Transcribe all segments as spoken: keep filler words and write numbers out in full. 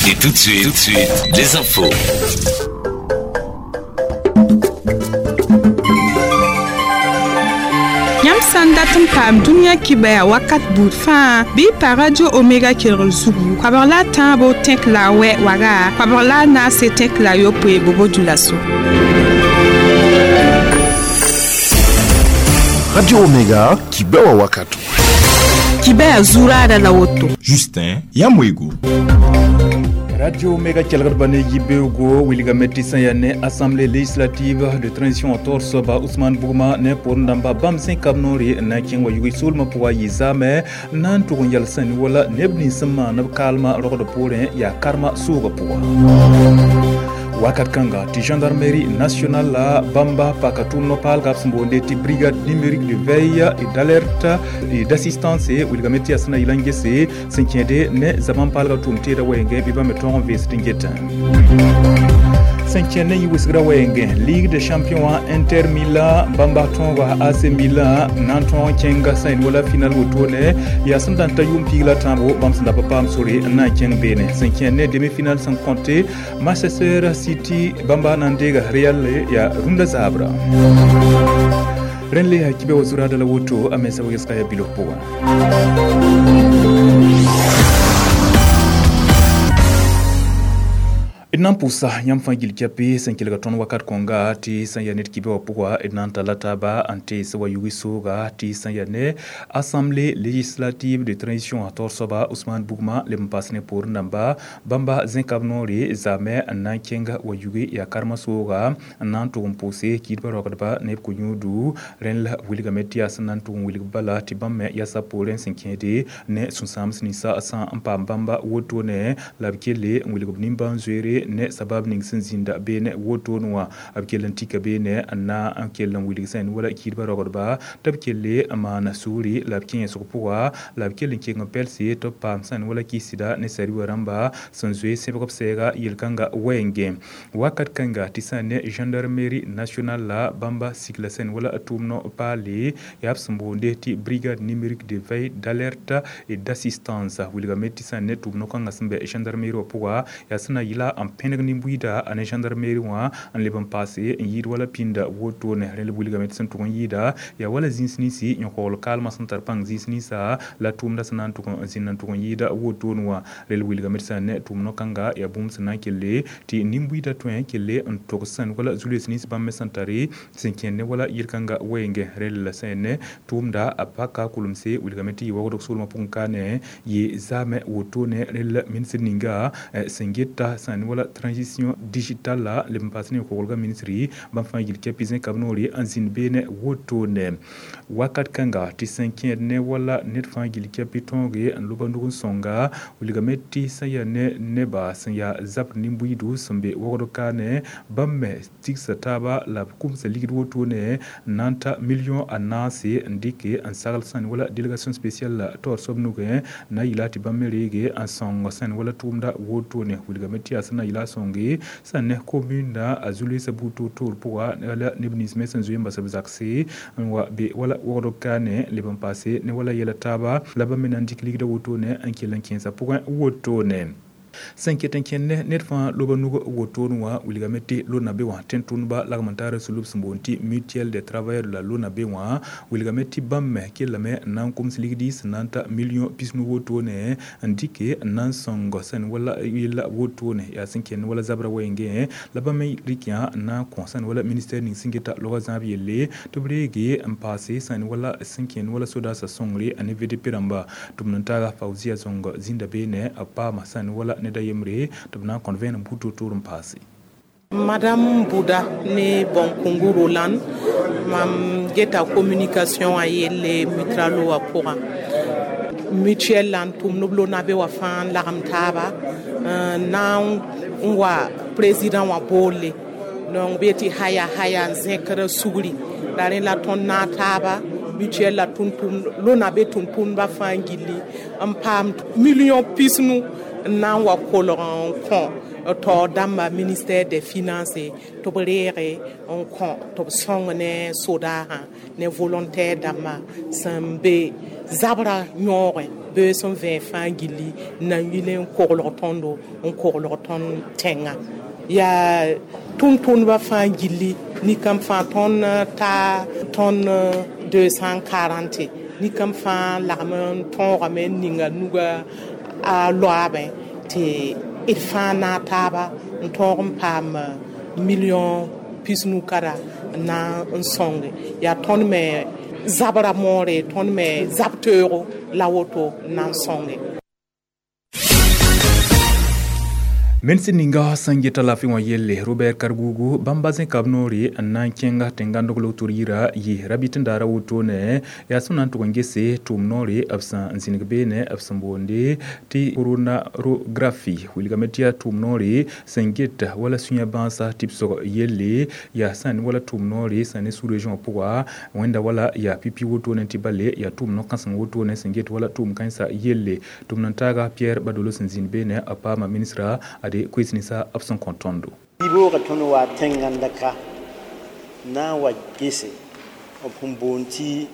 Et tout de suite, tout de suite, les infos. Yãmb sã n dat n paam dũniyã kibaya wakat buud fãa bɩ y pa Radio Omega kelgr zugu koabg la a tãabo tẽk la a wɛ waga koabg la a naase tẽk la a yopoe bobo dulaso. Radio Omega kibewa wakati. Kibaya zurada la woto. Justin Yamwego. Radio Omega kelgr ne yibeogo wilgame tɩ sẽn yaa ne Assemblée législative de transition tor soaba Ousmane Bugma ne pʋʋr dãmba bãmb zẽkab noore n na n kẽng wa yʋg soolmã pʋga yɩ zaamɛ n na n tʋg n yɛl sẽn wala neb nins sẽn maan b kaalmã rogd poorẽ yaa karma soogã pʋga. Wakat kãnga tɩ gendarmerie nationale la bãmba paka tʋʋm no-paalga b sẽn boonde tɩ brigade numérique de veille et d'alerte et d'assistance wilgame tɩ yaa sẽn na yɩl n gese sẽn kẽede ne zabã paalga tʋʋm teeda wɛɛngẽ bɩ bãmb me tõog n veesd n getã. Sẽn kẽnd ne yɩ-wɩsgrã wɛɛngẽ Ligue des champions wã Inter Milan bãmba tõoga A C Milan na n tõog n kẽnga sẽn wala final wotone yaa sẽn da n ta yʋʋm piig la tãabo bãmb sẽn da pa paam sore n na n kẽng beene sẽn kẽnd ne demi-finale sẽn kõte Manchester City bãmba na n deega Real yaa rũndã zaabra. Rẽnd le yaa kibe wa zuraada la woto a mensa wegesga yaa bilf pʋgã. D na n pʋʋsa yãmb fãa gil kɛpɩ sẽn kelga tõnd wakat kõnga tɩ sẽn yaa ned kibe wã pʋga d na n talla taaba n tees wa yʋg sooga tɩ sẽn yaa ne Assemblée législative de transition a taoor soaba Ousmane Bugma leb n paas ne poorẽ dãmba bãmba zẽkab noore zaamɛ n na n kẽng wa yʋge yaa karma sooga n na n tʋg n pʋʋse kiidbã rogdba ne b ko-yũudu rẽnd la wilgame tɩ yaa sẽn na n tʋg n wilg bala tɩ bãmb me yasa poorẽ sẽn kẽede ne sũ-sãams ninsã sã n paam bãmba wotone la b kelle n wilg b nimbãan-zoeere ne sabab ning sẽn zĩnda beene wotone wã b kell n tika beene n na n kell n wilg sẽn wala kiidbã rogdba tɩ b kelle n maana sugri la b kẽesg pʋga la b kell n keng n pɛlse tɩ b paam sẽn wala kɩsda ne sariwã rãmba sẽn zoe sẽbg b sɛɛga yel-kãnga wɛɛngẽ wakat kãnga tɩ sã ne gendarmerie nationale la bãmba sikla sẽn wala tʋʋm no-paale yaa b sẽn boonde tɩ brigade numérique de veille d'alerte et d'assistance wilgame tɩ sã ne tʋʋm no-kãngã sẽn bɛ gendarmerie wã pʋga yaa sẽn na yɩla n pẽneg nin-buiida a ne gendarmerie wã n leb n paase n yɩɩd wala pĩnda wotone rẽnd wilgame tɩ sẽn tʋg n yɩɩda yaa wala zĩis ninsi yõkogl kaalmã sẽn tar pãng zĩis ninsa la tʋʋmda sẽn na n tʋg n zĩnd n tʋg n yɩɩda wotone wã rel wilgame tɩ sã ne tʋʋm no-kãnga yaa bũmb sẽn na n kelle tɩ nin-buiida tõe n kelle n tog sẽn wala zu-loees nins bãmb me sẽn tare sẽn kẽnd ne wala yel-kãnga wɛɛngẽ rel la sẽn ne tʋʋmda a paka kulemse wilgame tɩ yɩ wagdg soolmã pʋgẽ kaane yɩ zaamɛ wotone rel la ministr ninga sẽn geta sẽn wala transition digitale la leb n paas ne koglga ministri bãmb fãa yil kɛpɩ zẽkab noore n zĩnd beene wotone wakat kãnga tɩ sẽn kẽed ne wala ned fãa gil kɛpɩ tõoge n loba nug n sõnga wilgame tɩ sẽn yaa ne neba sẽn yaa zabr nin-buiidu sẽn be wogd kaane bãmb me tigsa taaba la b kumsa ligd wotone n na n ta million a naase n dɩke n sagl sẽn wala délégation spéciale la taoor soab nugẽ na yɩla tɩ bãmb me reege n sõng sẽn wala tʋʋmda wotone wilgame tɩ yaa sẽn na yɩla sõnge sẽn ne commune a zu-loeesã buud toor-toor pʋga la neb nins me sẽn zoe n bas b zakse n wa be wala wogd kaane leb n paase ne wala yɛla taaba la bãmb me na n dɩk ligda wotone n kell n kẽensã pʋgẽ wotone. Sẽn ket n kẽnd ned fãa loba nug wotone wã wilgame tɩ LONABE wã tẽn-tʋmdba lagm n taara sulub sẽn boond tɩ mutuelle des travailleurs de la LONABE wã wilgame tɩ bãmb me kellame n na n koms ligdi sẽn na n ta million pisnu wotone n dɩke n na n sõng sẽn wala yella wotone yaa sẽn kẽnd wala zabra wɛɛngẽ la bãmb me rɩk yã n na n kõ sẽn wala ministère ning sẽn geta loga zãab yelle tɩ b reege n paase sẽn wala sẽn kẽnd wala sodaasã sõngre a ne V D P rãmba tɩ b n taaga Fauzia Zong zĩnda beene b paama sẽn wala ned a yembre tɩ b na n kõt vẽenem buud toor-toor n paase. Madame Bouda ne Bonkungu Roland mam geta communication a yelle mutralo wa pʋgã mutuelle la n tʋmd b LONABE wã fãa n lagem taaba na n wa président wã boolle donc b yetɩ haya haya n zẽkr sugri la rẽ la tõnd naag taaba mutuelle la tʋm-tʋmd LONABE tʋm-tʋmdbã fãa gilli n paam million pisnu n na n wa kolg n kõ taoor dãmba ministère des finances tɩ b reege n kõ tɩ b sõng ne sodaasã ne volontaire dãmba sẽn be zabra yõogẽ. Bɩ sẽn vẽ fãa gilli n na n yɩl n koglg tõndo n koglg tõnd tẽngã yaa tʋm-tʋmdbã fãa gilli ninkam fãa tõnd ta tõnd deux cent quarante ninkam fãa lagm n tõogame n ninga nuga a loaabẽ tɩ d fãa naag taaba n tõog n paam million pisnu kara n na n sõnge yaa tõnd me zabra moore tõnd me zab teoogo la woto n na n sõnge. Mense ninga sẽn geta laafɩ wã yelle Robert Kargugu bãmba zẽka b noore n na n kẽnga tẽn-gãndg lotor yira yɩ rabɩt n daara wotone yaa sẽn na n tʋg n gese tʋʋm noore b sẽn n zĩnig beene b sẽn boonde tɩ coronarographie wilgame tɩ yaa tʋʋm noore sẽn get wala sũyã bãasa tɩbsg yelle yaa sã n wala tʋʋm noore sẽn ne sous-région pʋga wẽnda wala yaa pipi wotone tɩ bale yaa tʋʋm no-kãseng wotone sẽn get wala tʋʋm kãensã yelle tʋm n taaga Pierre Badolo sẽn zĩnd beene a paama ministra ade koes ninsa b sẽn kõ tõndo. Yiboogã tõnd wa tẽn-gãndka na n wa gese b sẽn boond tɩ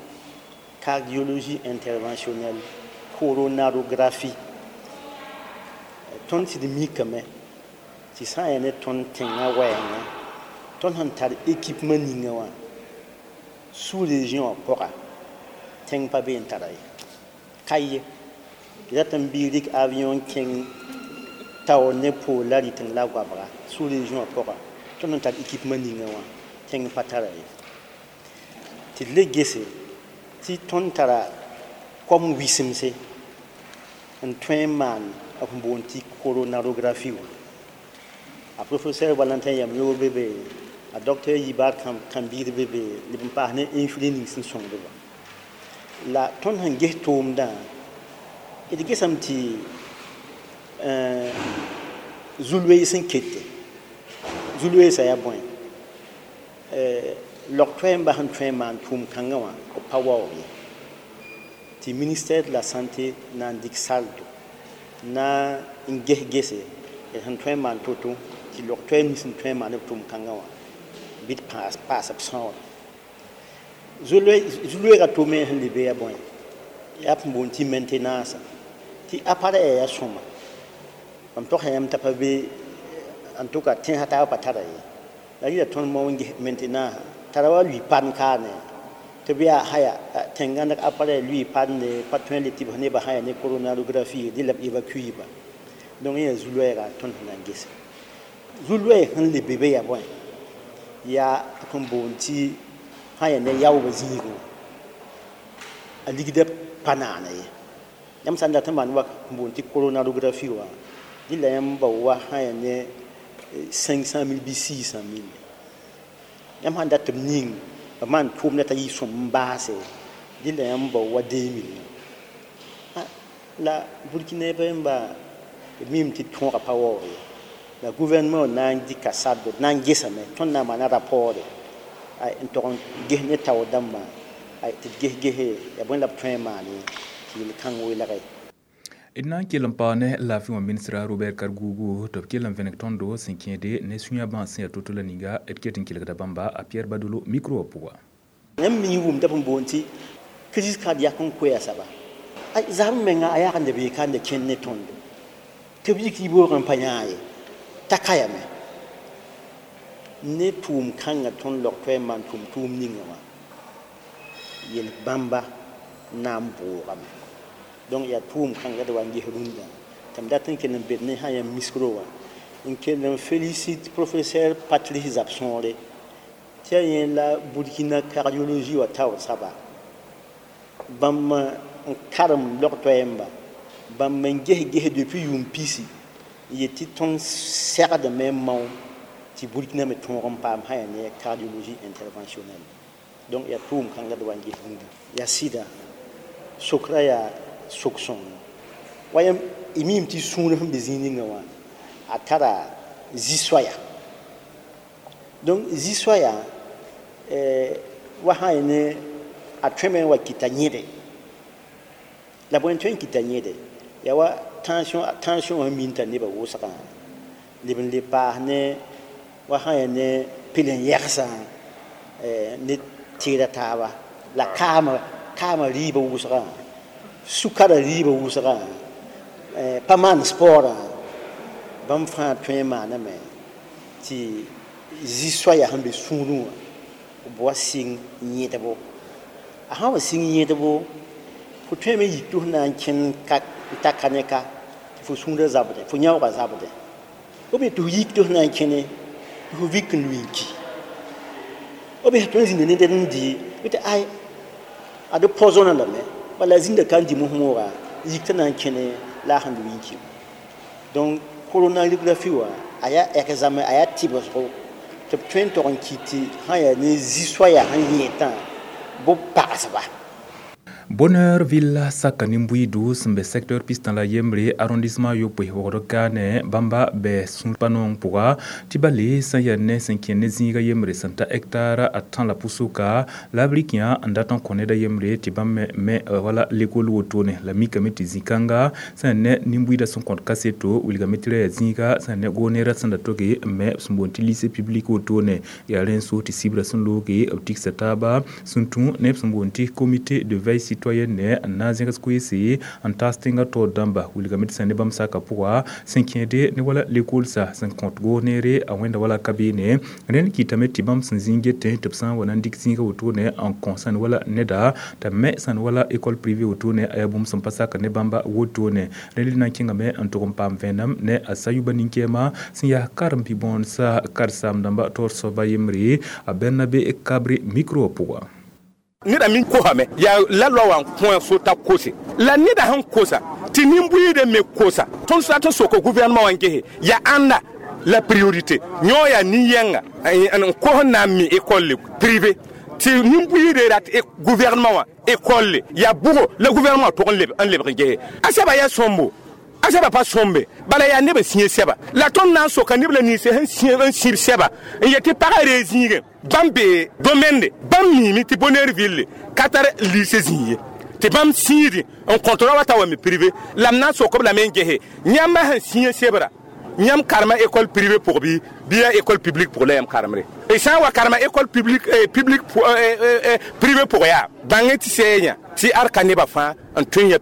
cardiologie interventionnelle coronarographie. Tõnd sɩd mikame tɩ sã n yaa ne tõnd tẽngã wɛɛngã tõnd sẽn tar équipement ninga wã sous-région wã pʋga tẽng pa be n tara ye ka ye rat n bɩ rɩk avion kẽng taoor ne poor la rɩteng la goabga sous-région wã pʋga tõnd sẽn tar équipement ninga wã tẽng pa tara ye tɩ d le gese tɩ tõnd tara kom wɩsemse n tõe n maan b sẽn boond tɩ coronarographie wã. A professeur Valentin Yamyo be be a docteur Yibar Kambir be be leb n paas ne influé ning sẽn sõngdba la tõnd sẽn ges tʋʋmdã d gesame tɩ zulwee sẽn kete zulweesã yaa bõe log-toɛɛmbã sẽn tõe n maan tʋʋm kãngã wã b pa waoog ye tɩ ministère de la santé na n dɩk saldo na n ges gese d sẽn tõe n maan to-to tɩ log-toɛɛm nins sẽn tõe n maan b tʋʋm kãngã wã bɩ d paas paas b sãoora zulweegã tome sẽn le be yaa bõe yaa p boond tɩ maintenance tɩ appareil yaa sõma mam togsa yãmb t'a pa be en tout cas tẽnsã taabã pa tara ye la rɩla tõnd mao n ges maintenance tara wa lʋɩ pan kaane tɩ b yaa haya tẽn-gãndg appareil lʋɩ pande pa tõe n le tɩ b nebã sã yaa ne coronarographie dẽ la b évacue ba donc yẽ yaa zu-loɛɛga tõnd sẽn na n gese zu-loɛɛg sẽn le be be yaa bõe yaa b sẽn boond tɩ sã yaa ne yaoobã zĩigẽ wã a ligda pa naana ye yãmb sã n dat n maan wa n boond tɩ coronarographie wã dẽ la yãmb bao wa sã yaa ne cinq cent mille bɩ six cent mille yãmb sãn dat tɩ b ning b maan tʋʋmdã t'a yɩ sõm n baase dẽ la yãmb bao wa deux millions la Burkina bãmba b mim tɩ tõogã pa waoog ye la gouvernement na n dɩka sardo na n gesame tõnd na n maana rapport n tog n ges ne taoor dãmbã tɩ d ges gese yaa bõe la b tõe n maane tɩ yel-kãng welge. D na n kell n paoog ne laafɩ wã ministra Robert Kargugu tɩ b kell n vẽneg tõndo sẽn kẽede ne sũyã bãas sẽn yaa to-to la ninga d ket n kelgda bãmba a Pierre Badolo micro wã pʋga. Yãmb mi wʋmda b boond tɩ crise cardiaque n koɛɛ saba zab menga a yag n bee ka n kẽnd ne tõndo tɩ b yik yiboogẽ n pa yãa ye t'a ka yame ne tʋʋm kãngã tõnd log toɛɛ n maan tʋʋm tʋʋm ninga wã yel bãmba na n boogame donc yaa tʋʋm kãnga d wa n ges rũndã tɩ m dat n kell n bed ne sã yãmb micro wã n kell n félicite professeur Patrice Zabsõore tɩ yaa yẽ la Burkina cardiologie wã taoor saba bãmb n karem log toɛɛmba bãmb n ges ges depuis yʋʋm pisi n yet tɩ tõnd segdame n mao tɩ Burkina me tõog n paam sã yaa ne cardiologie interventionnelle donc yaa tʋʋm kãnga d wa n ges rũndã yaa sɩda sokra yaa sok sõng wa yãmb y miime tɩ sũur sẽn be zĩig ninga wã a tara zi-soaya donc zi-soaya wa sã yaa ne a tõeme n wa kɩta yẽde la bõe n tõe n kɩta yẽde yaa wa tension tension wã min t'a nebã wʋsgã leb n le paas ne wa sã yaa ne pelen-yɛgsã ne teeda taaba la kaamã kaamã rɩɩbã wʋsgã Sukara rɩɩbã wʋsgã, pa maan sporã, bãmb fãa tõe n maaname tɩ zi-soaya sẽn be sũurẽ wã b wa sɩng yẽdbo. A sã n wa sɩng yẽdbo, fo tõeme yik tɩ f na n kẽnd ka n ta ka ne ka tɩ fo sũurã zabdẽ, fo yãoogã zabdẽ. B tɩ f yik tɩ f na n kẽne tɩ fo vik n lui n ki. B sã tõe n zĩnda ned n dɩ tɩ ay ad poisonné lame, bala zĩnda ka n dɩ mos-mooga, yik t'a na n kẽne la a sẽn lui n ki. Donc coronagraphie wã a yaa examen, a yaa tɩbsgo tɩ b tõe n tog n kɩt tɩ sã n yaa ne zi-soaya sẽn yẽetã bɩ pagsba. Bonheur Ville saka nin-buiidu sẽn be secteur pistã la yembre arrondissement yopoe wogd kaane bãmba bɛ sũur pa noong pʋga tɩ ba le sẽn yaa ne sẽn kẽ ne zĩiga yembre sẽn ta hectare a tã la pʋsʋka la b rɩk yã n dat n kõ ned a yembre tɩ bãmb me me wala lekol wotone la mikame tɩ zĩ-kãnga sẽn ne nin-buiidã sẽn kõt kaseto wilgame tɩ ra yaa zĩiga sẽn ne goneerã sẽn da toge n me sẽn boond tɩ lycée public wotone yaa rẽn so tɩ sibra sẽn looge b tigsa taaba sẽn tũ neb sẽn boond tɩ comité de veille citoyenne n na n zẽgs koeese n taas tẽngã taoor dãmba wilgame tɩ sẽn ne bãmb saka pʋga sẽn kẽede ne wala lekolsa sẽn kõt goos-neere a wẽnda wala ka beene. Rẽnd kɩtame tɩ bãmb sẽn zĩig getẽ tɩ b sã n wa na n dɩk zĩiga wotone n kõ sẽn wala neda t'a me sẽn wala école privée wotone a yaa bũmb sẽn pa sak ne bãmba wotone. Rẽnd na n kẽngame n tʋg n paam vẽenem ne a sayuba nin-kɛɛma sẽn yaa karen-bi-bõonsa karen-saam-dãmba taoor soaba yembre a Bernabe Kabre micro pʋga. Neda min kosame yaa la loi wã n kõ sota kose la neda sẽn kosa tɩ nin-buiidã me kosa. Tõnd sat n soka gouvernement wã n gese yaa ãnda la priorité yõ yaa nin-yɛnga n kos n na n mi école privé tɩ nin-buiidã rat gouvernement wã école yaa bʋgo la gouvernement tʋg n lebg n gese a sɛba yaa sõmbo, a sɛba pa sõmbe, bala yaa neb n sĩe sɛba la tõnd na n soka neb la ninse sẽn n sĩb sɛba n yet tɩ pagã ree zĩigẽ bãmb be domaine bãmb miime tɩ Bonheur Ville ka tar lycée zĩig ye tɩ bãmb sĩidi n kõt ra wa ta wa me privé la m na n sok b lame n gese yãmba sẽn sĩe sebra yãmb karema école privée pʋg bɩ bɩ yaa école publique pʋg la yãmb karemre y sã n wa karema école publique publique privé pʋg yaa bãng tɩ sɛɛ yã tɩ ad ka nebã fãa n tõe n ya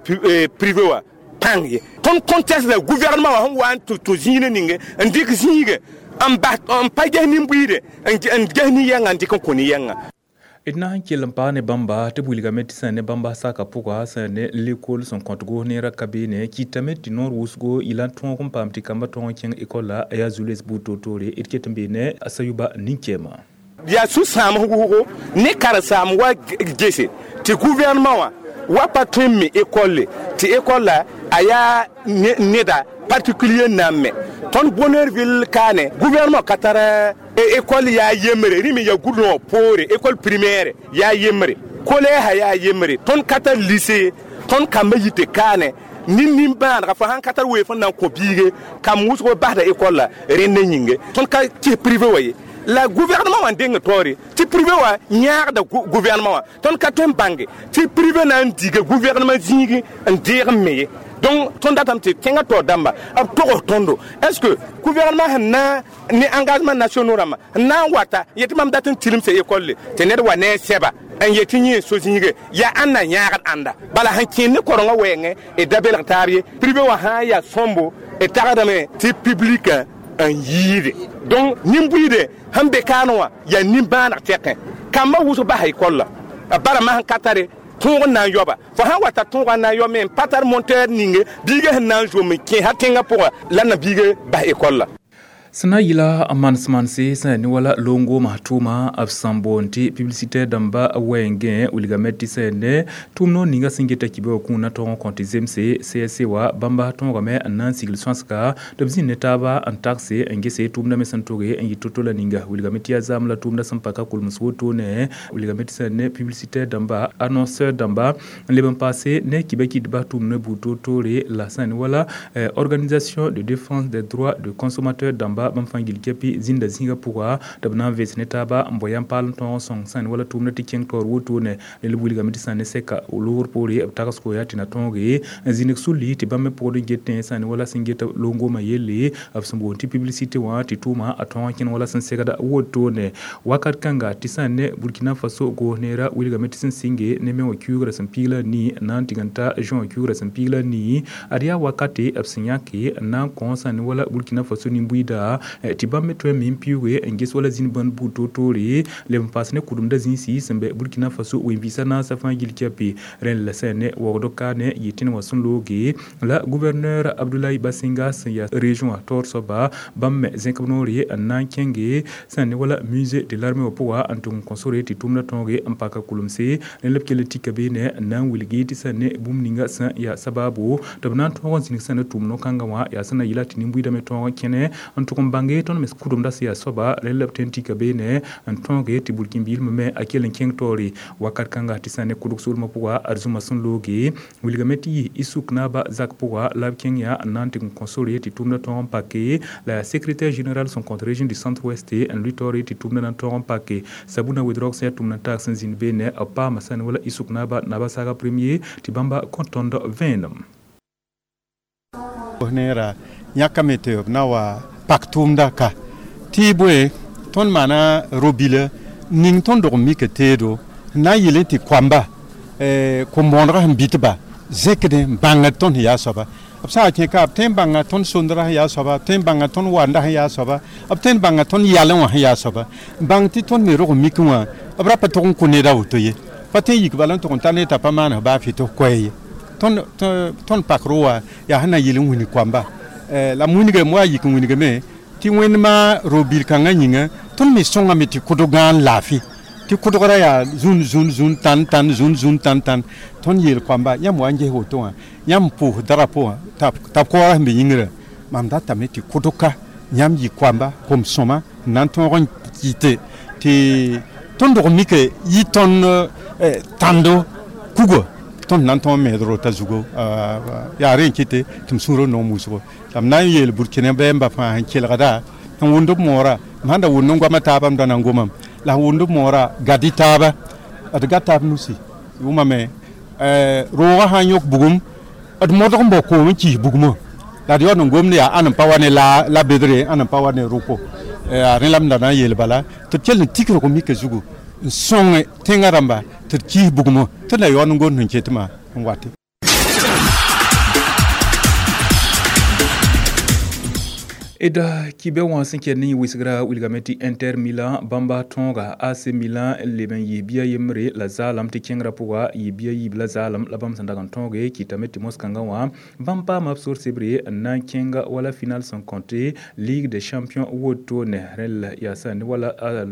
privé wã pãng ye. Tõnd conteste la gouvernement wã sẽn wa n tɩ tũ zĩig ninge n dɩk zĩige n bas n pa ges nin-buiide n ges nin-yɛngã n dɩk n kõ nin-yɛngã. D na n kell n paag ne bãmba tɩ b wilgame tɩ sẽn ne bãmba saka pʋga sẽn ne lekol sẽn kõt goos neerã ka beene kɩtame tɩ noor wʋsgo yɩla n tõog n paam tɩ kambã tõog n kẽng école la a yaa zu-loees buud toor-toore d ket n bee ne a sayuba nin-kɛɛma. Yaa sũ-sãam wʋsgo ne karen-saam wa gese tɩ gouvernement wã wa pa tõe n me école tɩ école la a yaa neda particulier na n me. Tõnd Bonheur Ville kaane gouvernement ka tar école yaa yembre rẽ me yaa goudron poore école primaire yaa yembre collège yaa yembre tõnd ka tar lycée tõnd kambã yite kaane nin nin-bãadga fo sãn ka tar weef n na n kõ biige kam wʋsg basda école la rẽnd yĩnge tõnd ka kɩs privé wa ye la gouvernement wã n deng taoore tɩ privé wã yãagda gouvernement wã tõnd ka tõe n bãnge tɩ privé na n diga gouvernement zĩigi n deeg n me ye. Donc tõnd datame tɩ tẽngã taoor dãmba b togs tõndo est ce que gouvernement sẽn na ne engagement nationaux rãmbã n na n wata yetɩ mam dat n tilemsa école tɩ ned wa ne a sɛba n yetɩ yẽ so zĩige yaa ãnda yãagd ãnda bala sẽn kẽen ne korengã wɛɛngẽ d da belg taab ye privé wã sã n yaa sõmbo d tagsdame tɩ public n yiide. Donc nin-buiide sẽn be kaane wã yaa nin-bãaneg tɛkẽ kambã wʋsg basa école la bara masẽn ka tare tõog n na n yaoba fo sãn wa ta tõoga n na n yao me n pa tar monteur ninge biigã sẽn na n zom n kẽ ha tẽngã pʋga la na biiga bas école la. Sẽn na n yɩla n manes-manse sẽn yaa ne wala longomã tʋʋma b sẽn boond tɩ publicitaire dãmba wɛɛngẽ wilgame tɩ sẽn ne tʋʋm noor ninga sẽn geta kibe wã kũunã tog n kõ tɩ zemse C S C wã bãmba tõogame n na n sigl sõsga tɩ b zĩnd ne taaba n tagse n gese tʋʋmdã me sẽn toge n yɩ to-to la ninga wilgame tɩ yaa zaam la tʋʋmdã sẽn pa ka kolms wotone wilgame tɩ sẽn ne publicitaire dãmba annonceur dãmba n leb n paase ne kiba kɩdba tʋʋmdã buud toor-toore la sẽn ne wala organisation de défense des droits de consommateurs dãmba. rãmba bãmb fãa gil kɛpɩ zĩnda zĩigã pʋga tɩ b na n vens ne taaba n bao yãmb paal n tõog n sõng sãn wala tʋʋmdã tɩ kẽng taoor wotone rel wilgame tɩ sã ne sɛka loogr poore b tagsgo yaa tɩ na tõoge n zĩnig sulli tɩ bãmb me pʋgd n getẽ sã ne wala sẽn get longomã yelle b sẽn boond tɩ publicité wã tɩ tʋʋma a tõog n kẽn wala sẽn segda wotone wakat kãnga tɩ sã ne Burkina Faso goos neera wilgame tɩ sẽn sɩnge ne me wã kiuugrã sẽn piig la nii n na n tɩg n ta juin wã kiuugrã sẽn piig la nii ad yaa wakate b sẽn yãke n na n kõ sã ne wala Burkina Faso nin-buiida tɩ bãmb me tõe n me n piuuge n ges wala zĩnd bãnd buud toor-toore leb n paas ne kʋdemda zĩisi sẽn bɛ Burkina Faso wen-vɩɩsã naasã fãa gil kɛpɩ rẽnd la sã ne waoogd kaane yɩ tẽn wã sẽn looge la gouverneur Abdoulaye Basinga sẽn yaa région wã taoor soaba bãmb me zẽk b noore n na n kẽnge sã ne wala musée de l'armée wã pʋga n tʋg n kõ sore tɩ tʋʋmdã tõoge n paka kulemse rẽnd la b kell n tika beene n na n wilgi tɩ sã ne bũmb ninga sẽn yaa sabaabo tɩ b na n tõog n zĩnig sã ne tʋʋm no-kãngã wã yaa sẽn na yɩla tɩ nin-buiidã me tõog n kẽne n tʋg n bãnge tõnd me kʋdemda sẽn yaa soaba rẽnd la b tõe n tika beene n tõoge tɩ burkĩn-biilmã me a kell n kẽng taoore wakat kãnga tɩ sã ne kʋdg soolmã pʋga ad zũma sẽn looge wilgame tɩ yɩ Issouk Naaba zak pʋga la b kẽng yaa n na n tɩg n kõ sore tɩ tʋʋmdã tõog n pake la yaa secrétaire général sẽn kõt région du centre ouest n lʋɩ taoore tɩ tʋʋmdã na n tõog n pake Sabuna Ouédraogo sẽn yaa tʋʋmd n taag sẽn zĩnd beene b paama sã ne wala Issouk Naaba Naba Saga premier tɩ bãmba kõ tõnd vẽenem neera yãkame tɩ b na wa pak tʋʋmda ka tɩ bõe tõnd maana ro-bila ning tõnd dog n mika teedo n na n yɩl tɩ koamba kom-bõonegã sẽn bɩtba zẽkdẽ n bãngd tõnd sẽn yaa soaba b sã n kẽ ka b tõe n bãnga tõnd sondrã sẽn yaa soaba b tõe n bãnga tõnd wanda sẽn yaa soaba b tõe n bãnga tõnd yalẽ wã sẽn yaa soaba n bãng tɩ tõnd me rog n mik wã b ra pa tʋg n kõ ned a woto ye pa tõe n yik bala n tʋg n ta ned t'a pa maan baa fɩ tɩ f koɛɛ ye tõnd pak ro wã yaa sẽn na yɩl n wilg koamba la m wilgame wa yik n wilgame tɩ wẽndmã ro-bil kãngã yĩnga tõnd me sõngame tɩ kʋdg gãan laafɩ tɩ kʋdgrã yaa zũn zũn zũn tãn tãn zũn zũn tãn tãn tõnd yeel koamba yãmb wa n ges woto wã yãmb pʋʋs drapo wã t'a b koɔɔrã sẽn be yĩngrã mam datame tɩ kʋdg-ka yãmb yɩ koamba kom-sõma n na n tõog n kɩte tɩ tõnd dog n mike yɩ tõnd tãndo kuga tõnd na n tõog n meed rota zugo yaa rẽ n kɩte tɩ m sũurã noom wʋsgo la m na n yeel burkina bɛɛmbã fãa sẽn kelgda n wʋmd b moora m sãn da wʋmd n goama taabã m da na n gomam la sẽn wʋmd b moora gad-y taaba d gad taab nusi wʋmame roogã sã n yõk bugum d modg n bao koom n kis bugmã la d yaood n gomd yaa ãn n pa wa ne la bedre ãn n pa wa ne rʋko yaa rẽ la m da na n yeel bala tɩ d kell n tik rog mika zugu n sõng tẽngã rãmba tɩ d kis bugmã tɩ d na yaood n gomd sẽn ketmã n wate. D kibɛ wã sẽn kɛd ne wɩsgra wilgame tɩ Inter Milan bãmba tõoga A C Milan leb n yɩ bia yembre la zaalem tɩ kẽngrã pʋga yɩ bia yiib la zaalem la bãmb sẽn dag n tõoge kɩtame tɩ mos-kãngã wã bãmb paama b sor sebre n na n kẽnga wala final sẽn kõte Ligue des champions wotone rẽnd la yaa sã ne wala a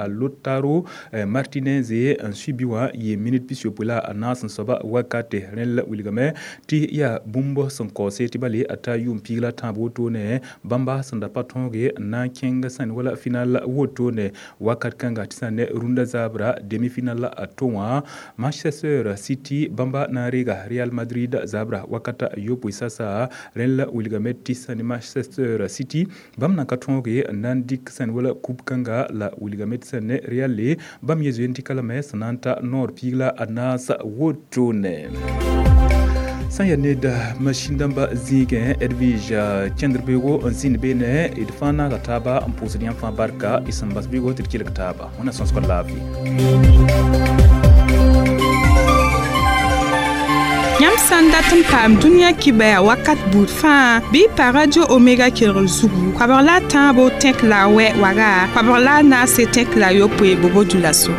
Lautaro Martinez n sui bi wã yɩ minit pis-yopoe la a naas n soaba wakate rẽnd la wilgame tɩ yaa bũmb sẽn kaoose tɩ bale a ta yʋʋm piig la tãab wotone bãmba sẽn da pa tõoge n na n kẽng sã ne wala final wotone wakat kãnga tɩ sã ne rũndã zaabra demi-final a to wã Manchester City bãmba na n reega Real Madrid zaabra wakata yopoe sasa rẽnd la wilgame tɩ sã ne Manchester City bãmb na n ka tõoge n na n dɩk sã ne wala coupe kãnga la wilgame tɩ sã ne Real le bãmb ye zoe n dɩka lame sẽn na n ta noor piig la a naas wotone. Sã n yaa ned masĩn dãmba zĩigẽ Edwige kẽndr beoogo n zĩnd beene d fãa naaga taaba n pʋʋsd yãmb fãa barka y sẽn bas beoogo tɩ d kelg taaba wẽnna sõsg laafɩ. Yãmb sã n dat n paam dũniyã kibɛa wakat buud fãa bɩ pa Radio Omega kelgr zugu koabg la a tãabo tẽk la a wɛ waga koabg la a naase tẽk la a yopoe bobo dulaso.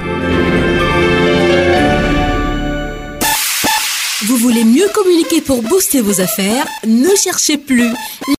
Vous voulez mieux communiquer pour booster vos affaires? Ne cherchez plus.